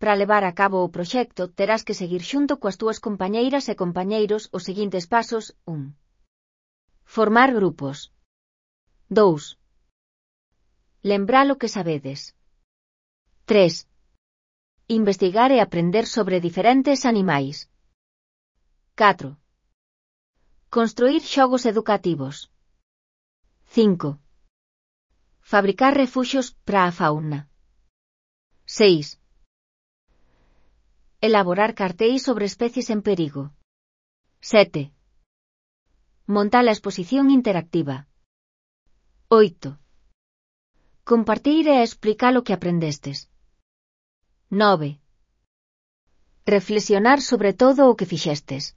Para levar a cabo o proxecto, terás que seguir xunto coas túas compañeiras e compañeiros os seguintes pasos. 1. Formar grupos. 2. Lembrar o que sabedes. 3. Investigar e aprender sobre diferentes animais. 4. Construir xogos educativos. 5. Fabricar refuxios para a fauna. 6. Elaborar cartéis sobre especies en perigo. 7. Montar a exposición interactiva. 8. Compartir e explicar o que aprendestes. 9. Reflexionar sobre todo o que fixestes.